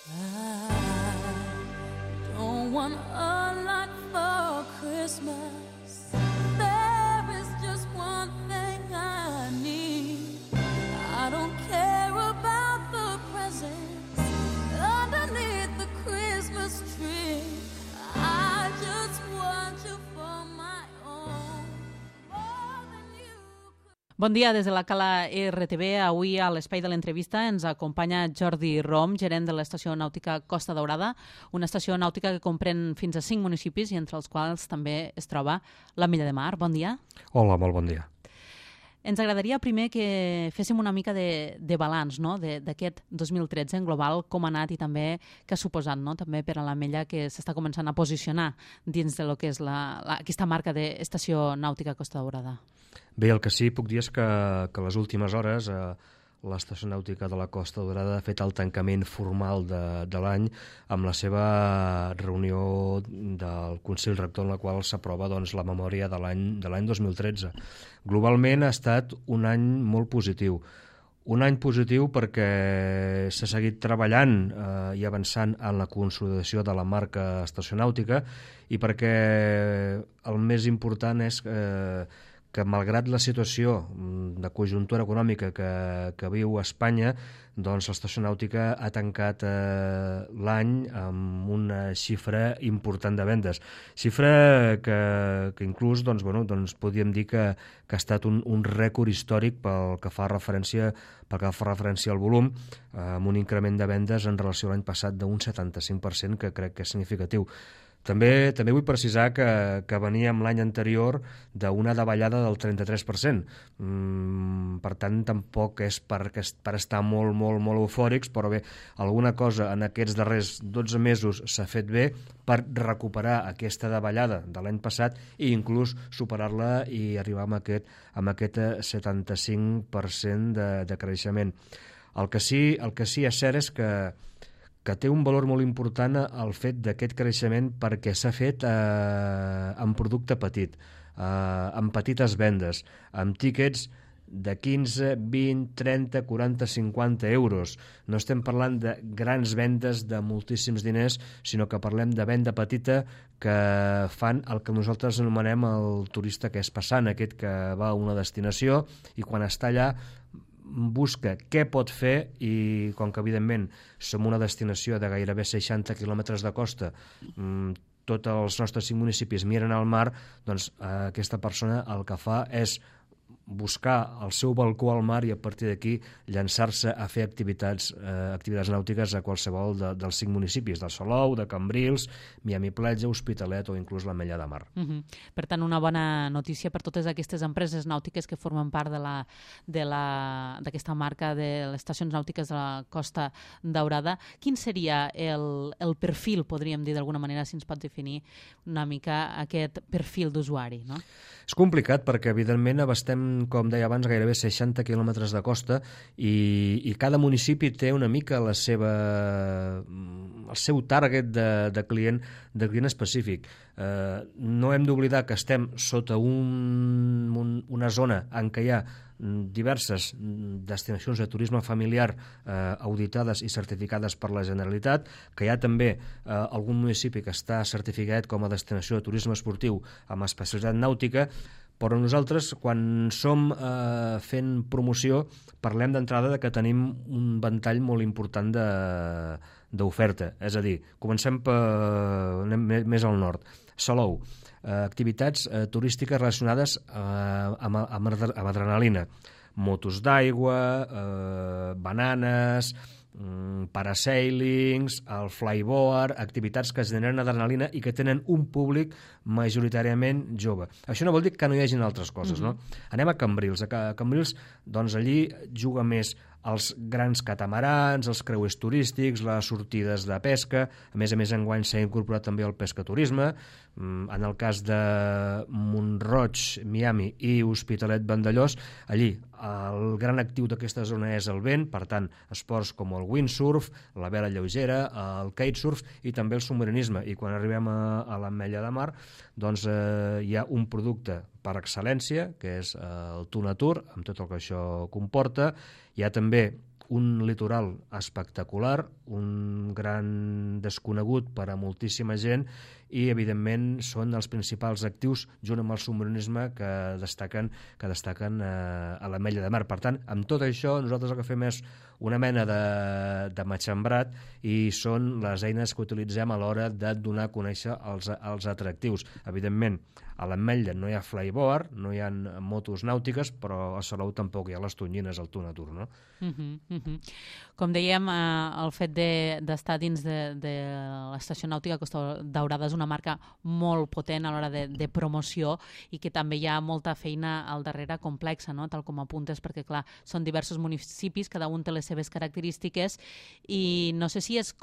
I don't want a lot for Christmas. There is just one thing I need. I don't care about the presents underneath the Christmas tree. I just want you for my own, more than you could. Bon dia des de la Cala RTV. Avui a l'espai de l'entrevista ens acompanya Jordi Rom, gerent de l'estació nàutica Costa Daurada, una estació nàutica que comprèn fins a 5 municipis i entre els quals també es troba l'Ametlla de Mar. Bon dia. Hola, molt bon dia. Ens agradaria primer que féssim una mica de balanç, no?, d'aquest 2013 en global, com ha anat i també què ha suposat, no?, també per a l'Ametlla, que s'està començant a posicionar dins de lo que és aquesta marca d'estació nàutica Costa Daurada. Bé, el que sí puc dir és que les últimes hores l'estació nàutica de la Costa Daurada ha fet el tancament formal de l'any amb la seva reunió del Consell Rector en la qual s'aprova la memòria de l'any 2013. Globalment ha estat un any molt positiu. Un any positiu perquè s'ha seguit treballant i avançant en la consolidació de la marca estació nàutica i perquè el més important és que malgrat la situació de conjuntura econòmica que viu Espanya, doncs l'estació nàutica ha tancat l'any amb una xifra important de vendes. Xifra que inclús podríem dir que ha estat un rècord històric pel que fa referència al volum, amb un increment de vendes en relació a l'any passat d'un 75%, que crec que és significatiu. També vull precisar que veníem l'any anterior d'una davallada del 33%. Per tant, tampoc és per estar molt, molt, molt eufòrics, però bé, alguna cosa en aquests darrers 12 mesos s'ha fet bé per recuperar aquesta davallada de l'any passat i inclús superar-la i arribar amb aquest 75% de creixement. El que sí és cert és que té un valor molt important el fet d'aquest creixement perquè s'ha fet en producte petit, amb petites vendes, amb tíquets de 15, 20, 30, 40, 50 euros. No estem parlant de grans vendes de moltíssims diners, sinó que parlem de venda petita que fan el que nosaltres anomenem el turista que és passant, aquest que va a una destinació i quan està allà busca què pot fer i com que evidentment som una destinació de gairebé 60 quilòmetres de costa, tots els nostres 5 municipis miren al mar, doncs aquesta persona el que fa és buscar el seu balcó al mar i a partir d'aquí llançar-se a fer activitats nàutiques a qualsevol dels 5 municipis, de Salou, de Cambrils, Miami Platja, Hospitalet o inclús l'Ametlla de Mar. Per tant, una bona notícia per totes aquestes empreses nàutiques que formen part d'aquesta marca de les estacions nàutiques de la Costa Daurada. Quin seria el perfil, podríem dir d'alguna manera, si ens pot definir una mica aquest perfil d'usuari, no? És complicat perquè, evidentment, abastem, com deia abans, gairebé 60 quilòmetres de costa i cada municipi té una mica el seu target de client específic. No hem d'oblidar que estem sota una zona en què hi ha diverses destinacions de turisme familiar auditades i certificades per la Generalitat, que hi ha també algun municipi que està certificat com a destinació de turisme esportiu amb especialitat nàutica, però nosaltres, quan som fent promoció, parlem d'entrada de que tenim un ventall molt important d'oferta. És a dir, comencem més al nord. Salou, activitats turístiques relacionades amb adrenalina, motos d'aigua, bananes, parasailings, el flyboard, activitats que generen adrenalina i que tenen un públic majoritàriament jove. Això no vol dir que no hi hagin altres coses, no? Anem a Cambrils. A Cambrils, doncs allí juga més els grans catamarans, els creuers turístics, les sortides de pesca. A més, enguany s'ha incorporat també el pescaturisme. En el cas de Mont-roig, Miami i Hospitalet Vandellòs, allí el gran actiu d'aquesta zona és el vent, per tant, esports com el windsurf, la vela lleugera, el kitesurf i també el submarinisme. I quan arribem a l'Ametlla de Mar, doncs hi ha un producte per excel·lència, que és el Tuna Tour, amb tot el que això comporta. Hi ha també un litoral espectacular, un gran desconegut per a moltíssima gent i, evidentment, són els principals actius, junt amb el submarinisme, que destaquen a l'Ametlla de Mar. Per tant, amb tot això, nosaltres el que fem és una mena de matxembrat i són les eines que utilitzem a l'hora de donar a conèixer els atractius. Evidentment, a l'Ametlla no hi ha flyboard, no hi ha motos nàutiques, però a Salou tampoc hi ha les tonyines al Tunatur, no? Com dèiem, el fet d'estar dins de l'estació nàutica Costa Daurada és una marca molt potent a l'hora de promoció i que també hi ha molta feina al darrere complexa, no? Tal com apuntes, perquè clar, són diversos municipis, cada un té les seves característiques i no sé si és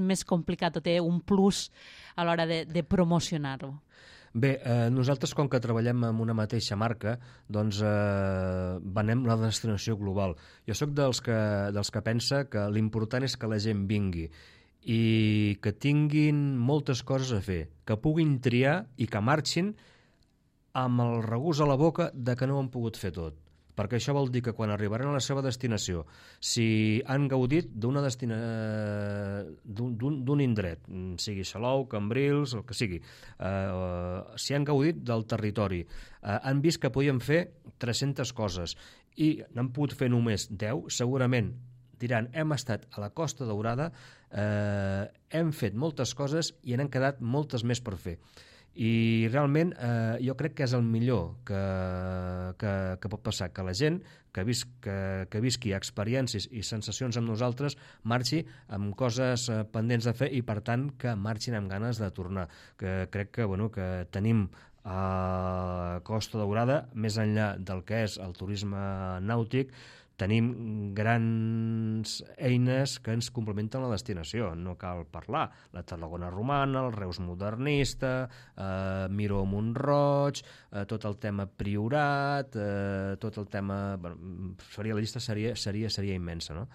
més complicat o té un plus a l'hora de promocionar-ho. Bé, nosaltres, com que treballem amb una mateixa marca, doncs venem la destinació global. Jo sóc dels que pensa que l'important és que la gent vingui i que tinguin moltes coses a fer, que puguin triar i que marxin amb el regust a la boca de que no ho han pogut fer tot. Perquè això vol dir que quan arribaran a la seva destinació, si han gaudit d'un indret, sigui Salou, Cambrils, el que sigui, si han gaudit del territori, han vist que podien fer 300 coses i n'han pogut fer només 10, segurament diran, hem estat a la Costa Daurada, hem fet moltes coses i n'han quedat moltes més per fer. I realment jo crec que és el millor que pot passar, que la gent que visqui experiències i sensacions amb nosaltres marxi amb coses pendents de fer i per tant que marxin amb ganes de tornar. Que crec que tenim a Costa Daurada, més enllà del que és el turisme nàutic, tenim grans eines que ens complementen la destinació, no cal parlar. La Tarragona romana, el Reus modernista, Miró Mont-roig, tot el tema Priorat, tot el tema... la llista seria immensa, no?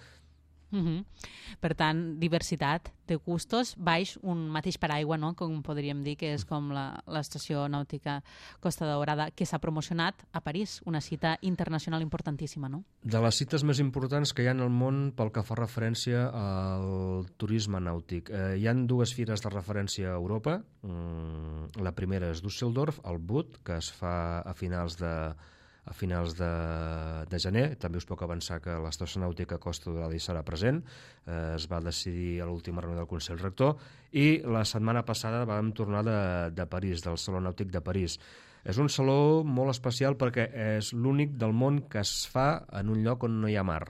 Per tant, diversitat de gustos baix un mateix paraigua, no? Com podríem dir que és com l'estació nàutica Costa Daurada, que s'ha promocionat a París, una cita internacional importantíssima, no? De les cites més importants que hi ha en el món pel que fa referència al turisme nàutic. Hi han dues fires de referència a Europa. La primera és Düsseldorf, el BUT, que es fa a finals de gener. També us puc avançar que l'estació nàutica Costa Daurada hi serà present. Es va decidir a l'última reunió del Consell Rector i la setmana passada vam tornar de París, del Saló Nàutic de París. És un saló molt especial perquè és l'únic del món que es fa en un lloc on no hi ha mar.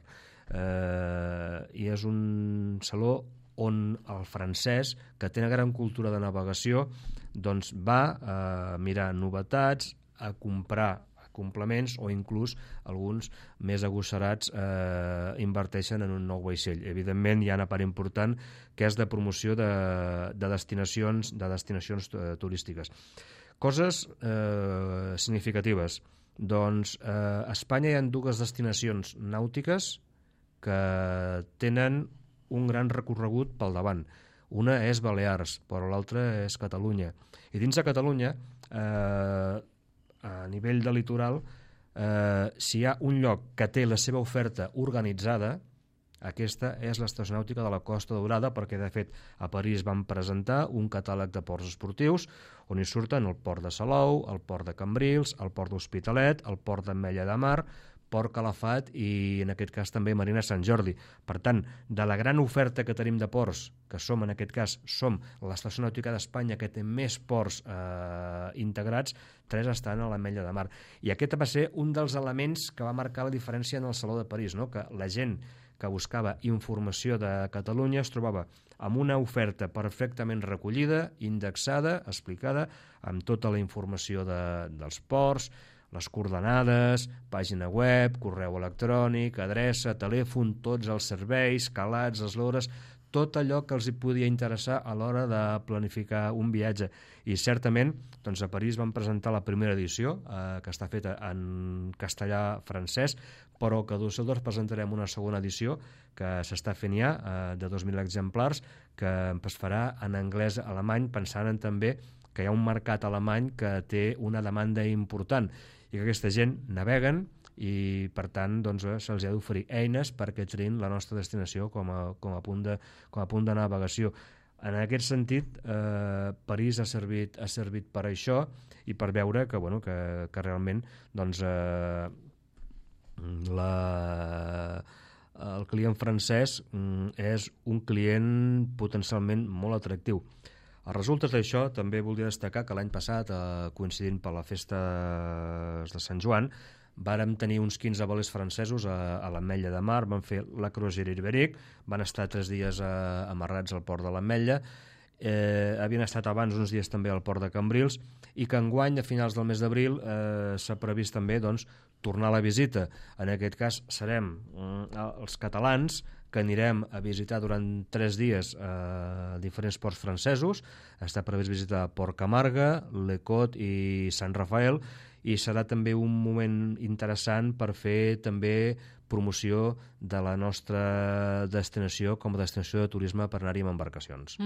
I és un saló on el francès, que té una gran cultura de navegació, doncs va a mirar novetats, a comprar complements o inclús alguns més agosarats inverteixen en un nou vaixell. Evidentment hi ha una part important que és de promoció de destinacions turístiques. Coses significatives. Doncs a Espanya hi ha dues destinacions nàutiques que tenen un gran recorregut pel davant. Una és Balears, però l'altra és Catalunya. I dins de Catalunya a nivell de litoral, si hi ha un lloc que té la seva oferta organitzada, aquesta és l'estació nàutica de la Costa Daurada, perquè de fet a París van presentar un catàleg de ports esportius on hi surten el port de Salou, el port de Cambrils, el port d'Hospitalet, el port d'Ametlla de Mar, Port Calafat i en aquest cas també Marina Sant Jordi. Per tant, de la gran oferta que tenim de ports, que som en aquest cas l'estació nàutica d'Espanya que té més ports integrats, 3 estan a l'Ametlla de Mar. I aquest va ser un dels elements que va marcar la diferència en el Saló de París, no? Que la gent que buscava informació de Catalunya es trobava amb una oferta perfectament recollida, indexada, explicada, amb tota la informació dels ports, les coordenades, pàgina web, correu electrònic, adreça, telèfon, tots els serveis, calats, eslores, tot allò que els hi podia interessar a l'hora de planificar un viatge. I certament doncs a París van presentar la primera edició, que està feta en castellà francès, però que a Düsseldorf presentarem una segona edició que s'està fent ja, de 2.000 exemplars, que es farà en anglès alemany, pensant en també que hi ha un mercat alemany que té una demanda important i que aquesta gent naveguen i per tant doncs, se'ls ha d'oferir eines perquè triïn la nostra destinació com a punt de navegació. En aquest sentit, París ha servit per això i per veure que realment doncs, el client francès és un client potencialment molt atractiu. A resultes d'això, també voldria destacar que l'any passat, coincidint per la festa de Sant Joan, vàrem tenir uns 15 velers francesos a l'Ametlla de Mar, van fer la Croisière Ibérique, van estar 3 dies amarrats al port de l'Ametlla, havien estat abans uns dies també al port de Cambrils, i que enguany, a finals del mes d'abril, s'ha previst també tornar a la visita. En aquest cas serem els catalans que anirem a visitar durant 3 dies diferents ports francesos. Està previst visitar Port Camarga, Le Cot i Sant Rafael, i serà també un moment interessant per fer també promoció de la nostra destinació com a destinació de turisme per anar-hi amb embarcacions.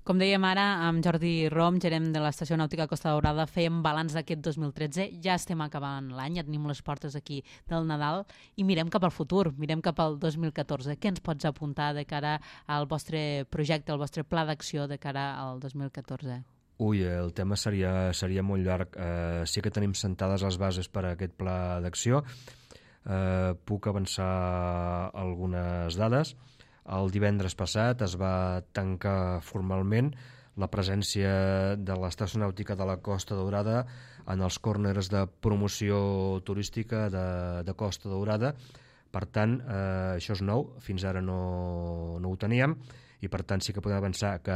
Com dèiem ara, amb Jordi Rom, gerent de l'Estació Nàutica Costa Daurada, fèiem balanç d'aquest 2013. Ja estem acabant l'any, ja tenim les portes aquí del Nadal i mirem cap al futur, mirem cap al 2014. Què ens pots apuntar de cara al vostre projecte, al vostre pla d'acció de cara al 2014? El tema seria molt llarg. Sí que tenim sentades les bases per a aquest pla d'acció. Puc avançar algunes dades. El divendres passat es va tancar formalment la presència de l'Estació Nàutica de la Costa Daurada en els corners de promoció turística de Costa Daurada. Per tant, això és nou, fins ara no ho teníem, i per tant sí que podem avançar que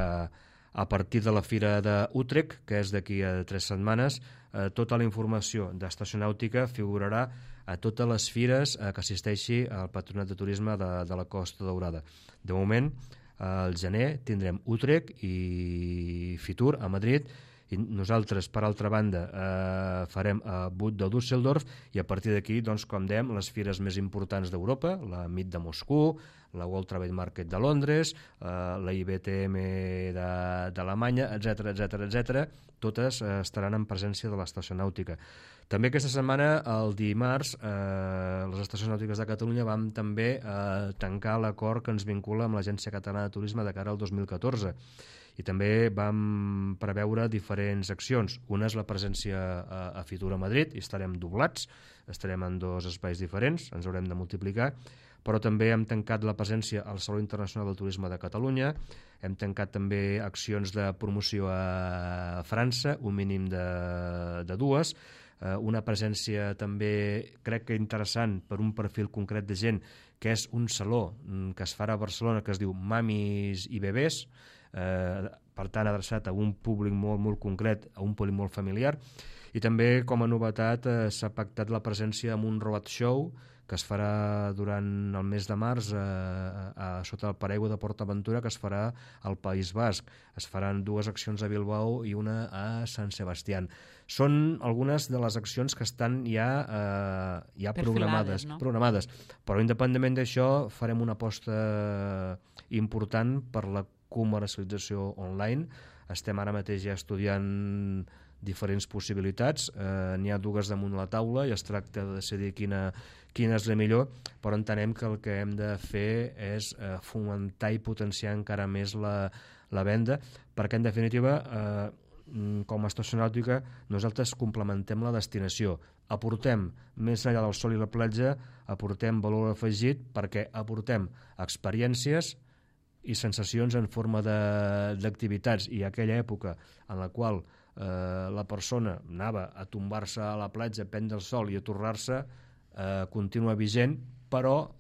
a partir de la Fira d'Utrecht, que és d'aquí a 3 setmanes, tota la informació d'Estació Nàutica figurarà a totes les fires que assisteixi al Patronat de Turisme de la Costa Daurada. De moment, al gener tindrem Utrecht i Fitur a Madrid, i nosaltres, per altra banda, farem Bud de Düsseldorf, i a partir d'aquí, doncs, com dèiem, les fires més importants d'Europa, la MIT de Moscou, la World Trade Market de Londres, la IBTM d'Alemanya, etc., totes estaran en presència de l'Estació Nàutica. També aquesta setmana, el dimarts, les Estacions Nàutiques de Catalunya vam també tancar l'acord que ens vincula amb l'Agència Catalana de Turisme de cara al 2014. I també vam preveure diferents accions. Una és la presència a Fitur a Madrid, i estarem doblats, estarem en 2 espais diferents, ens haurem de multiplicar, però també hem tancat la presència al Saló Internacional del Turisme de Catalunya, hem tancat també accions de promoció a França, un mínim de 2, una presència també, crec que interessant, per un perfil concret de gent, que és un saló que es farà a Barcelona, que es diu Mamis i Bebès, per tant adreçat a un públic molt concret, a un públic molt familiar. I també, com a novetat, s'ha pactat la presència en un road show que es farà durant el mes de març sota el paraigua de PortAventura, que es farà al País Basc. Es faran 2 accions a Bilbao i una a Sant Sebastián. Són algunes de les accions que estan ja programades, no? Programades. Però independentment d'això, farem una aposta important per la comercialització online. Estem ara mateix ja estudiant diferents possibilitats, n'hi ha 2 damunt la taula i es tracta de decidir quina és la millor, però entenem que el que hem de fer és fomentar i potenciar encara més la venda, perquè en definitiva com a Estació Nàutica nosaltres complementem la destinació, aportem més enllà del sol i la platja, aportem valor afegit perquè aportem experiències i sensacions en forma d'activitats, i aquella època en la qual la persona anava a tombar-se a la platja, a prendre el sol i a tornar-se, continua vigent, però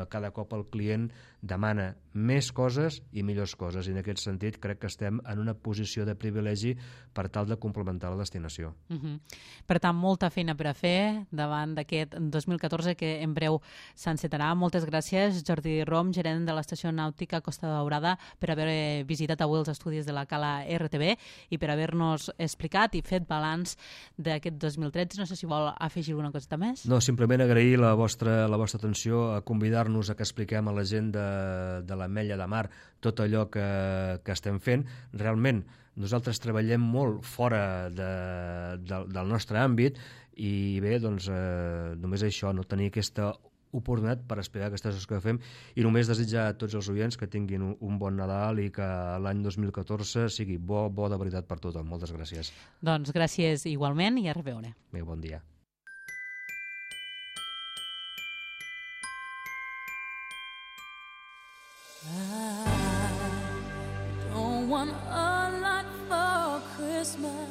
cada cop el client demana més coses i millors coses, i en aquest sentit crec que estem en una posició de privilegi per tal de complementar la destinació. Per tant, molta feina per a fer davant d'aquest 2014 que en breu s'encetarà. Moltes gràcies, Jordi Rom, gerent de l'Estació Nàutica Costa Daurada, per haver visitat avui els estudis de la Cala RTV i per haver-nos explicat i fet balanç d'aquest 2013. No sé si vol afegir alguna coseta més. No, simplement agrair la vostra atenció, a convidar-nos a que expliquem a la gent de l'Ametlla de Mar tot allò que estem fent. Realment nosaltres treballem molt fora del nostre àmbit I bé, doncs, només això, no tenir aquesta oportunitat per explicar aquestes coses que fem, i només desitjar a tots els oients que tinguin un bon Nadal i que l'any 2014 sigui bo de veritat per tothom. Moltes gràcies. Doncs gràcies igualment i a reveure. Bé, bon dia. I don't want a lot for Christmas.